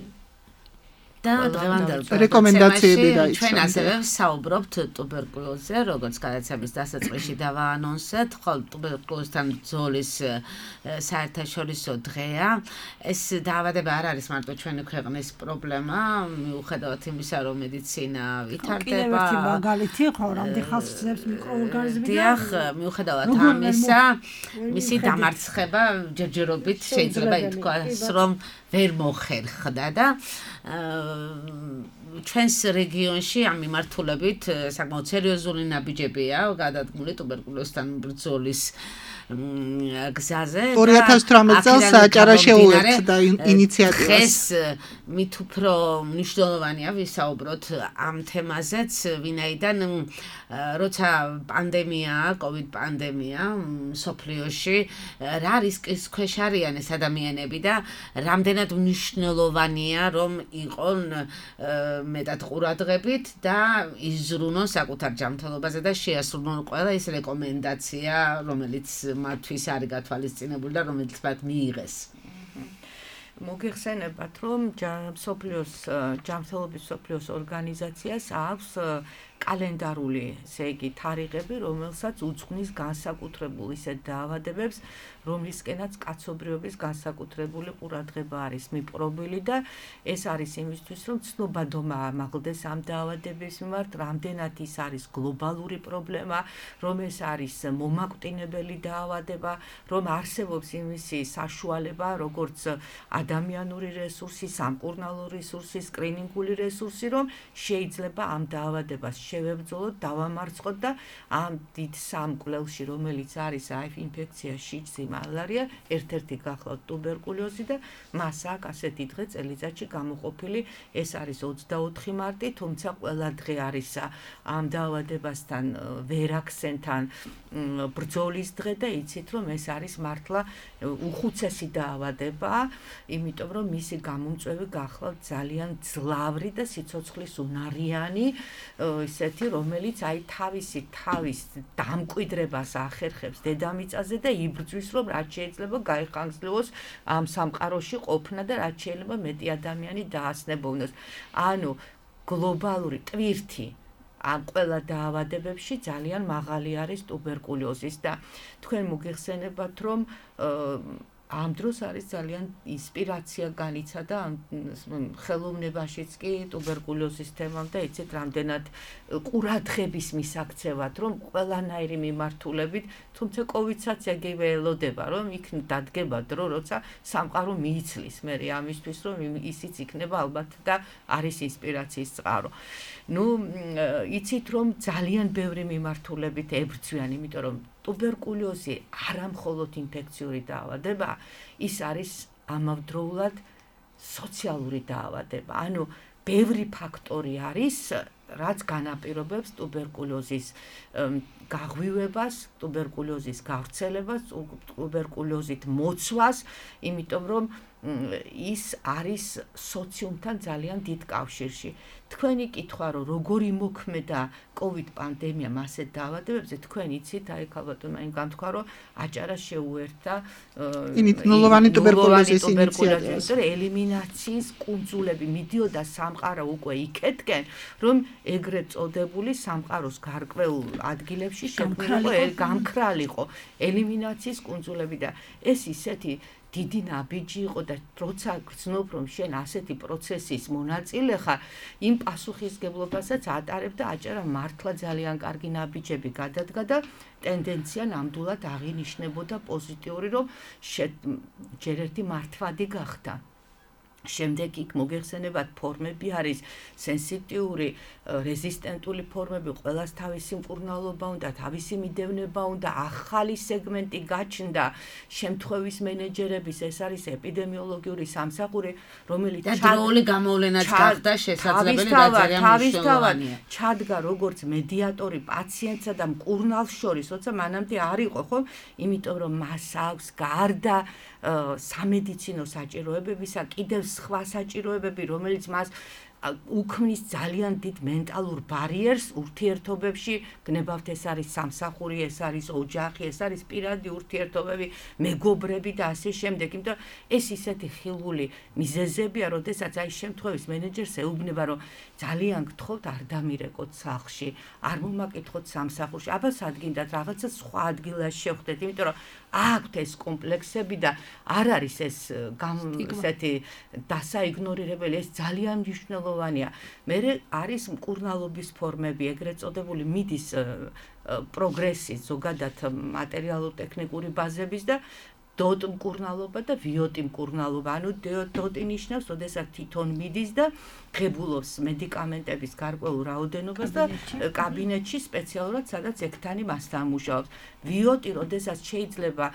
და დღევანდელ რეკომენდაციები დაიცვა. ჩვენ ასევე საუბრობთ ტუბერკულოზზე, როგორც გადაცემის დასაწყისში დავაანონსეთ, ხოლო ტუბერკულოზთან ბრძოლის საერთაშორისო დღეა. ეს დაავადება არ არის მარტო ჩვენი ქვეყნის პრობლემა, მიუხედავად იმისა, რომ მედიცინა ვითარდება. კიდევ ერთი მაგალითი, ხო, რამდენი ხალხს ძებს მიკროორგანიზმი და დიახ, მიუხედავად ამისა, მისი დამარცხება ჯერჯერობით შეიძლება ითქვას, რომ ვერ მოხერხდა და ჩვენს რეგიონში ამ მიმართულებით საკმაოდ სერიოზული ნაბიჯებია გადადგმული ტუბერკულოზთან ბრძოლის გზაზე ორი ათას თვრამეტ წელს საჭარა შეუერთდა ინიციატივას. დღეს მით უფრო მნიშვნელოვანია ვისაუბროთ ამ თემაზეც, ვინაიდან როცა პანდემია, კოვიდ პანდემია სოფლიოში, რა რისკის ქვეშ არიან ეს ადამიანები და რამდენად მნიშვნელოვანია, რომ იყონ მეტად ყურადღებით და იზრუნონ საკუთარ ჯანმრთელობაზე და შეასრულონ ყველა ეს რეკომენდაცია, რომელიც მათთვის არის გათვალისწინებული და რომელიც მათ მიიღეს. მოგეხსენებათ, რომ სოფლიოს ჯანმრთელობის სოფლიოს ორგანიზაციას აქვს კალენდარული, ესე იგი, თარიღები, რომელსაც უძღვნის განსაკუთრებულ ისეთ დაავადებებს, რომლისკენაც კაცობრიობის განსაკუთრებული ყურადღება არის მიპყრობილი და ეს არის იმისთვის, რომ ცნობადობა ამაღლდეს ამ დაავადების მიმართ, რამდენად ის არის გლობალური პრობლემა, რომ ეს არის მომაკვდინებელი დაავადება, რომ არსებობს იმისი საშუალება, როგორც ადამიანური რესურსი, სამკურნალო რესურსი, სკრინინგული რესურსი, რომ შეიძლება ამ დაავადებას შევებრძოლოთ, დავამარცხოთ და ამ დიდ სამ კვლევში, რომელიც არის აი ინფექცია, შიჯი, მალარია, ერთ-ერთი გახლავთ ტუბერკულოზი და მას აქვს ასეთი დღე წელიწადში გამოყოფილი, ეს არის ოცდაოთხი მარტი, თუმცა ყველა დღე არის ამ დაავადებასთან ვერაქსენთან ბრძოლის დღე და იცით, რომ ეს არის მართლა უხუცესი დაავადება, იმიტომ რომ მისი გამომწვევი გახლავთ ძალიან ძლავრი და სიცოცხლის უნარიანი ისეთი, რომელიც აი თავისი თავის დამკვიდრებას ახერხებს დედამიწაზე და იბრძვის, რომ რაც შეიძლება გაიხანგრძლივოს ამ სამყაროში ყოფნა და რაც შეიძლება მეტი ადამიანი დაასნებოვნოს. ანუ გლობალური ტვირთი ამ ყველა დაავადებებში ძალიან მაღალი არის ტუბერკულოზის და თქვენ მოგიხსენებათ, რომ ამ დროს არის ძალიან ინსპირაცია განიცადა ამ ხელოვნებაშიც კი ტუბერკულოზის თემამ და იცით რამდენად ყურადღების მისაქცევად, რომ ყველანაირი მიმართულებით, თუმცა კოვიდსაც ეგივე ელოდება, რომ იქ დადგება დრო, როცა სამყარო მიიცლის მე ამისთვის, რომ ისიც იქნება ალბათ და არის ინსპირაციის წყარო. ნუ იცით რომ ძალიან ბევრი მიმართულებით ებრძვიან, იმიტომ რომ ტუბერკულოზი არა მხოლოდ ინფექციური დაავადება, ის არის ამავდროულად სოციალური დაავადება. ანუ ბევრი ფაქტორი არის, რაც განაპირობებს ტუბერკულოზის გაღვივებას, ტუბერკულოზის გავრცელებას, ტუბერკულოზით მოცვას, იმიტომ რომ ის არის სოციუმთან ძალიან დიდ კავშირში. თქვენი კითხვა, რომ როგორ იმოქმედა კოვიდ პანდემიამ ასეთ დაავადებებზე, თქვენ იცით, აი ქალბატონმა იმ განთქვა, რომ აჭარა შეუერთდა ნულოვანი ტუბერკულოზის ინიციატივას, რომ ელიმინაციის კუნძულები მიდიოდა სამყარო უკვე იქეთკენ, რომ ეგრეთ წოდებული სამყაროს გარკვეულ ადგილებში შექმნილიყო გამქრალიყო ელიმინაციის კუნძულები და ეს ისეთი დიდი ნაბიჯი იყო და როცა გრძნობ რომ შენ ასეთი პროცესის მონაწილე ხარ, იმ პასუხისგებლობასაც ატარებდა აჭარა მართლა ძალიან კარგი ნაბიჯები გადადგა და ტენდენცია ნამდვილად აღინიშნებოდა პოზიტიური, რომ ჯერ ერთი მართვადი გახდა. შემდეგ იქ მოგეხსენებათ ფორმები არის სენსიტიური, რეზისტენტული ფორმები, ყველას თავისი მკურნალობა უნდა, თავისი მიდევნება უნდა, ახალი სეგმენტი გაჩნდა, შემთხვევის მენეჯერების, ეს არის ეპიდემიოლოგიური სამსახური, რომელიც და დროული გამოვლენაც გახდა შესაძლებელი და ძალიან მნიშვნელოვანია. ჩადგა როგორც მედიატორი პაციენტსა და მკურნალს შორის, როცა მანამდე არ იყო, ხო? იმიტომ რომ მას აქვს გარდა სამედიცინო საჭიროებებისა კიდევ სხვა საჭიროებები, რომელიც მას უქმნის ძალიან დიდ მენტალურ ბარიერს ურთიერთობებში, გნებავთ ეს არის სამსახური, ეს არის ოჯახი, ეს არის პირადი ურთიერთობები, მეგობრები და ასე შემდეგ. იმიტომ ეს ისეთი ხილული მიზეზებია, როდესაც აი შემთხვევის მენეჯერს ეუბნება, რომ ძალიან გთხოვთ არ დამირეკოთ სახლში, არ მომაკითხოთ სამსახურში, აბა სადგინდათ რაღაცა სხვა ადგილას შევხვდეთ, იმიტომ რომ აქვთ ეს კომპლექსები და არ არის ეს ესეთი დასაიგნორირებელი, ეს ძალიან მნიშვნელოვანია. მე არის მკურნალობის ფორმები, ეგრეთ წოდებული მიდის პროგრესი ზოგადად მატერიალურ-ტექნიკური ბაზების და დოტ მკურნალობა და ვიოტი მკურნალობა. ანუ დოტი ნიშნავს, როდესაც თვითონ მიდის და ღებულობს მედიკამენტების გარკვეულ რაოდენობას და კაბინეტში სპეციალურად, სადაც ექთანი მასთან მუშაობს. ვიოტი, როდესაც შეიძლება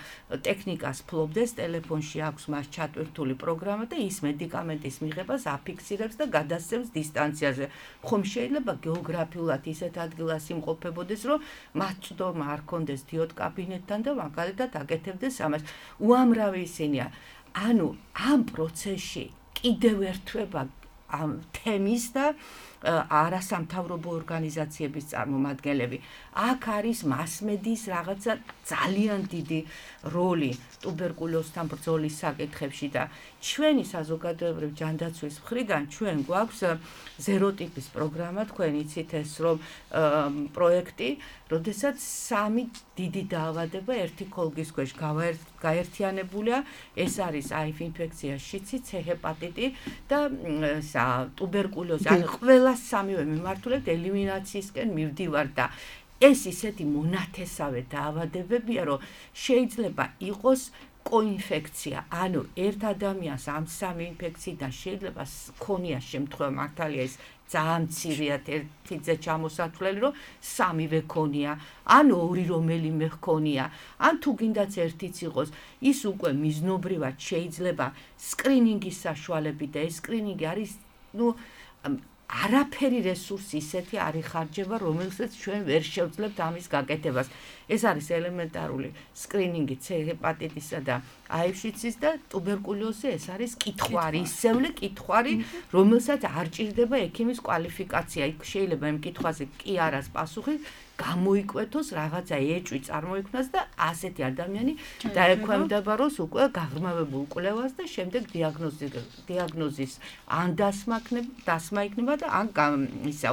ტექნიკას ფლობდეს, ტელეფონში აქვს მას ჩატვირთული პროგრამა და ის მედიკამენტის მიღებას აფიქსირებს და გადასცემს დისტანციაზე. ხომ შეიძლება გეოგრაფიულად ისეთ ადგილას იმყოფებოდეს, რომ მათ წვდომა არ ქონდეს დიოტ კაბინეტთან და მაგალითად აკეთებდეს ამას. უამრავი ისინია. ანუ ამ პროცესში კიდევ ერთვება ამ თემის და არასამთავრობო ორგანიზაციების წარმომადგენლები. აქ არის მასმედიის რაღაცა ძალიან დიდი როლი ტუბერკულოზთან ბრძოლის საკითხებში და ჩვენი საზოგადოებრივ ჯანდაცვის მხრიდან ჩვენ გვაქვს ზეროტიპის პროგრამა, თქვენ იცით ეს რომ პროექტი, როდესაც სამი დიდი დაავადება ერთი ქოლგის ქვეშ გაერთიანებულია, ეს არის აიფ ინფექცია, შიცი, C ჰეპატიტი და ტუბერკულოზი. ანუ ყველა სამივე მიმართულებით ელიმინაციისკენ მივდივარ და ეს ისეთი მონათესავე დაავადებებია, რომ შეიძლება იყოს კოინფექცია, ანუ ერთ ადამიანს ამ სამი ინფექციიდან შეიძლება ქონია შემთხვევა, მართალია ეს ძალიან მცირეა ერთიზე ჩამოსათვლელი, რომ სამივე ქონია, ან ორი რომელიმე ჰქონია, ან თუ გინდაც ერთიც იყოს, ის უკვე მიზნობრივად შეიძლება სკრინინგის საშუალებით და ეს სკრინინგი არის, ну არაფერი რესურსი ისეთი არ იხარჯება, რომელსაც ჩვენ ვერ შევძლებთ ამის გაკეთებას. ეს არის ელემენტარული სკრინინგი C ჰეპატიტისა და აივ-შიცის და ტუბერკულოზი, ეს არის კითხვარი, ისევლე კითხვარი, რომელსაც არ ჭირდება ექიმის კვალიფიკაცია. იქ შეიძლება იმ კითხვაზე კი არას პასუხი გამოიკვეთოს, რაღაცა ეჭვი წარმოიქმნას და ასეთი ადამიანი დაექვემდებაროს უკვე გაღრმავებულ კვლევას და შემდეგ დიაგნოზი დიაგნოზის ან დასმა დასმა იქნება და ან ისა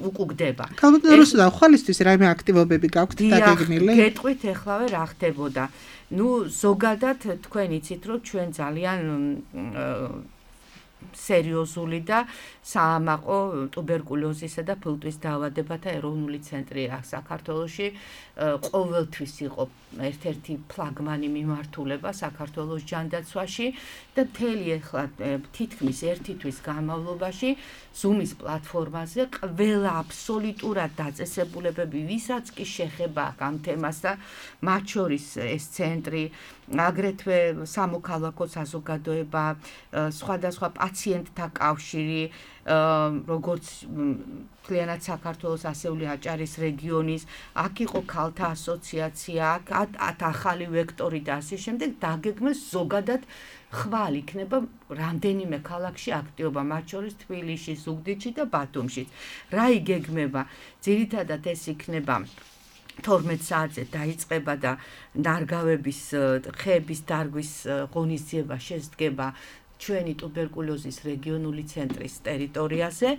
უკუგდება. კალბინოროსა ხვალისთვის რაიმე აქტივობები გაქვთ დაგეგმილი? გეტყვით ეხლავე რა ხდებოდა. ნუ ზოგადად თქვენ იცით რომ ჩვენ ძალიან სერიოზული და საამაყო ტუბერკულოზისა და ფილტვის დაავადებათა ეროვნული ცენტრი საქართველოში ყოველთვის იყო ერთ-ერთი ფლაგმანი მიმართულება საქართველოს ჯანდაცვაში და მთელი ახლა თითქმის ერთი თვის განმავლობაში Zoom-ის პლატფორმაზე ყველა აბსოლუტურად დაწესებულებები, ვისაც კი შეხება ამ თემას და მათ შორის ეს ცენტრი, აგრეთვე სამოქალაქო საზოგადოება, სხვადასხვა პაციენტთა კავშირი, როგორც მთლიანად საქართველოს ასეული აჭარის რეგიონის, აქ იყო ქალთა ასოციაცია, აქ ახალი ვექტორი და ასე შემდეგ დაგეგმეს ზოგადად ხვალ იქნება რამდენიმე ქალაქში აქტიობა, მათ შორის თბილისში, ზუგდიდში და ბათუმშიც. რა იგეგმება? ძირითადად ეს იქნება თორმეტ საათზე დაიწყება და ნარგავების ხეების დარგვის ღონისძიება შესდგება ჩვენი ტუბერკულოზის რეგიონული ცენტრის ტერიტორიაზე,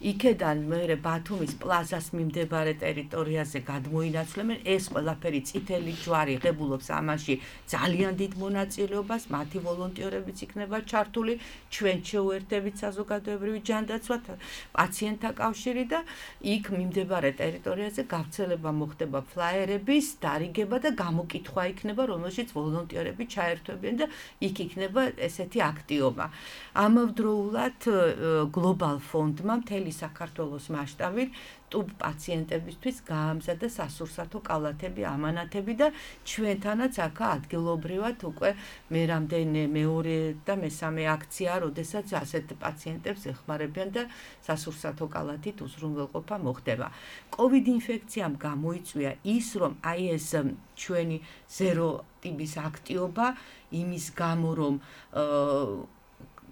იქედან მერე ბათუმის პლაზას მიმდებარე ტერიტორიაზე გადმოინაცვლებენ, ეს ყველაფერი წითელი ჯვარი ღებულობს ამაში ძალიან დიდ მონაწილეობას, მათი ვოლონტიორებიც იქნება ჩართული, ჩვენ შეუერთებით საზოგადოებრივი ჯანდაცვა, პაციენტთა კავშირი და იქ მიმდებარე ტერიტორიაზე გავრცელება მოხდება ფლაიერების, დარიგება და გამოკითხვა იქნება, რომელშიც ვოლონტიორები ჩაერთვებიან და იქ იქნება ესეთი აქტიობა. ამავდროულად გლობალ ფონდმა მთელი საქართველოს მასშტაბით ტუბ პაციენტებისთვის გაამზადა სასურსათო კალათები, ამანათები და ჩვენთანაც აქა ადგილობრივად უკვე მე რამდენი მეორე და მესამე აქცია, როდესაც ასეთ პაციენტებს ეხმარებიან და სასურსათო კალათით უზრუნველყოფა მოხდება. COVID ინფექციამ გამოიწვია ის, რომ აი ეს ჩვენი ზერო ტიპის აქტიობა იმის გამო, რომ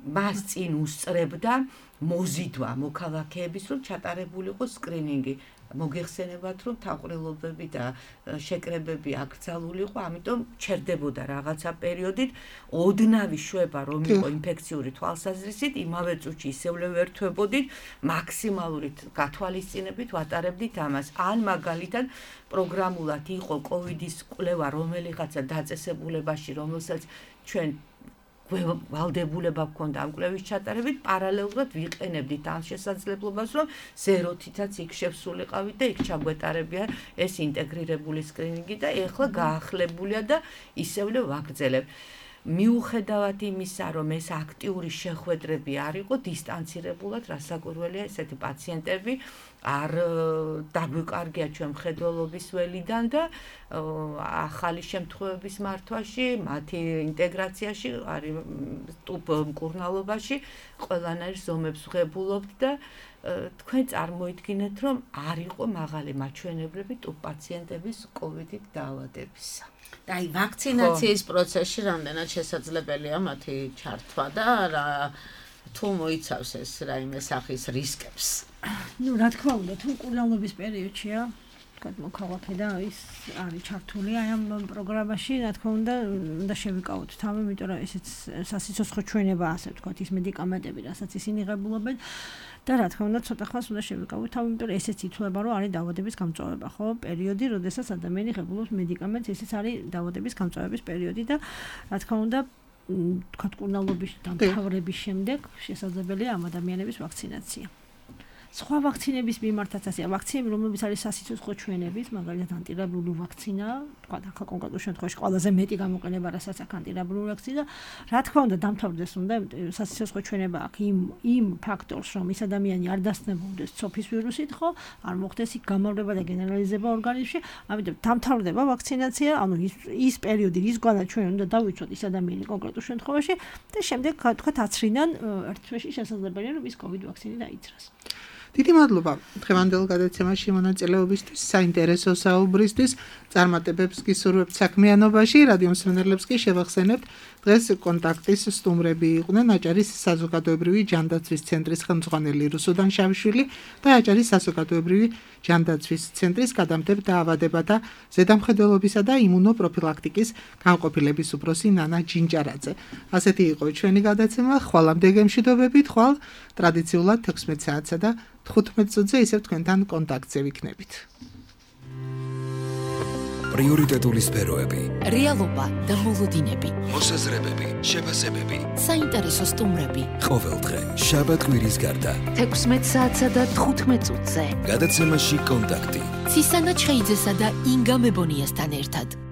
მას წინ უსწრებდა მოზიდვა მოქალაქეების, რომ ჩატარებულიყო სკრინინგი. მოგეხსენებათ, რომ თავყრილობები და შეკრებები აკრძალულიყო, ამიტომ ჩერდებოდა რაღაცა პერიოდით ოდნავი შვება, რომ იყო ინფექციური თვალსაზრისით, იმავე წუთში ისევ ვერთვებოდით, მაქსიმალური გათვალისწინებით ვატარებდით ამას. ან მაგალითად პროგრამულად იყო კოვიდის კვლევა რომელიღაცა დაწესებულებაში, რომელსაც ჩვენ ვალდებულება გქონდა ამ კვლევის ჩატარებით, პარალელურად ვიყენებდით ამ შესაძლებლობას, რომ ზეროთითაც იქ შევსულიყავით და იქ ჩაგვეტარებია ეს ინტეგრირებული სკრინინგი და ეხლა გაახლებულია და ისევლე ვაგრძელებ. მიუხედავად იმისა, რომ ეს აქტიური შეხვედრები არ იყო დისტანცირებულად, რასაკვირველია, ესეთი პაციენტები არ დაგვიკარგია ჩვენ მხედველობის ველიდან და ახალი შემთხვევების მართვაში, მათი ინტეგრაციაში, არის ტუბ მკურნალობაში ყველანაირ ზომებს ვღებულობთ და თქვენ წარმოიდგინეთ, რომ არ იყო მაღალი მაჩვენებლები ტუბ პაციენტების კოვიდით დაავადებისა. აი ვაქცინაციის პროცესში რამდენად შესაძლებელია მათი ჩართვა და რა თუ მოიცავს ეს რაიმე სახის რისკებს? ნუ რა თქმა უნდა, თუ მკურნალობის პერიოდშია, თქვა მოქალაქე და ის არის ჩართული აი ამ პროგრამაში, რა თქმა უნდა, უნდა შევიკავოთ თავი, იმიტომ რომ ესეც სასიცოცხლო ჩვენება ასე ვთქვათ, ის მედიკამენტები, რასაც ისინი ღებულობენ და რა თქმა უნდა, ცოტა ხანს უნდა შევიკავოთ თავი, იმიტომ რომ ესეც ითვლება, რომ არის დაავადების გამწვავება, ხო? პერიოდი, როდესაც ადამიანი ღებულობს მედიკამენტს, ესეც არის დაავადების გამწვავების პერიოდი და რა თქმა უნდა, თქვა მკურნალობის დამთავრების შემდეგ შესაძლებელია ამ ადამიანების ვაქცინაცია. სხვა ვაქცინების მიმართაც ასეა, ვაქცინები, რომლებიც არის სასიცოცხლო ჩვენებით, მაგალითად ანტირაბიული ვაქცინა, თქვა ახლა კონკრეტულ შემთხვევაში ყველაზე მეტი გამოყენება რასაც აქვს ანტირაბიული ვაქცინა, რა თქმა უნდა დამთავრდეს უნდა სასიცოცხლო ჩვენება აქვს იმ იმ ფაქტორს, რომ ის ადამიანი არ დასწნებულდეს ცოფის ვირუსით, ხო, არ მოხდეს იქ გამავლება და გენერალიზება ორგანიზმში, ამიტომ დამთავრდება ვაქცინაცია, ანუ ის ის პერიოდი, რის გვანაც ჩვენ უნდა დავიცვათ ის ადამიანი კონკრეტულ შემთხვევაში და შემდეგ თქვა აცრიდან ერთ თვეში შესაძლებელია რომ ის COVID ვაქცინი დაიცრას. დიდი მადლობა დღევანდელ გადაცემაში მონაწილეობისთვის, საინტერესო საუბრისთვის, წარმატებებს გისურვებთ საქმიანობაში, რადიო მსმენელებს კი შევახსენებთ დღეს კონტაქტის სტუმრები იყვნენ აჭარის საზოგადოებრივი ჯანდაცვის ცენტრის ხელმძღვანელი რუსუდან შავიშვილი და აჭარის საზოგადოებრივი ჯანდაცვის ცენტრის გადამტებ დაავადებათა ზედამხედველობისა და იმუნოპროფილაქტიკის განყოფილების უფროსი ნანა ჯინჯარაძე. ასეთი იყო ჩვენი გადაცემა, ხვალამდე გემშვიდობებით, ხვალ ტრადიციულად თექვსმეტ საათსა და თხუთმეტ წუთზე ისევ თქვენთან კონტაქტზე ვიქნებით. პრიორიტეტული სფეროები, რეალობა და მოლოდინები, მოსაზრებები, შეფასებები, საინტერესო სტუმრები. ყოველდღე, შაბათ-კვირის გარდა, თექვსმეტ საათსა და თხუთმეტ წუთზე. გადაცემაში კონტაქტი. ცისანა ჩხეიძესა და ინგა მებონიასთან ერთად.